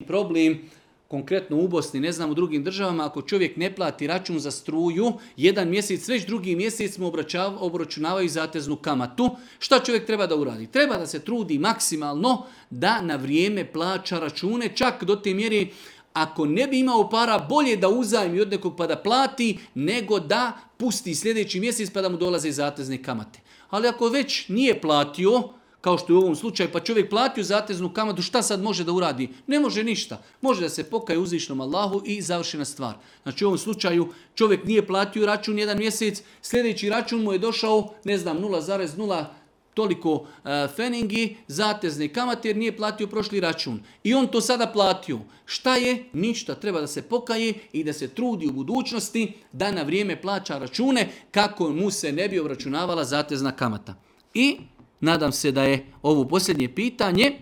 problem, konkretno u Bosni, ne znam u drugim državama, ako čovjek ne plati račun za struju, jedan mjesec, već drugi mjesec mu obračunavaju zateznu kamatu. Šta čovjek treba da uradi? Treba da se trudi maksimalno da na vrijeme plaća račune, čak do te mjere ako ne bi imao para, bolje da uzajmi od nekog pa da plati, nego da pusti sljedeći mjesec pa da mu dolaze zatezne kamate. Ali ako već nije platio, kao što je u ovom slučaju, pa čovjek platio zateznu kamatu, šta sad može da uradi? Ne može ništa. Može da se pokaje uzvišnom Allahu i završena stvar. Znači u ovom slučaju čovjek nije platio račun jedan mjesec, sljedeći račun mu je došao, ne znam, 0,0 toliko feningi, zatezne kamate jer nije platio prošli račun. I on to sada platio. Šta je? Ništa. Treba da se pokaje i da se trudi u budućnosti da na vrijeme plaća račune kako mu se ne bi obračunavala zatezna kamata. I nadam se da je ovo posljednje pitanje.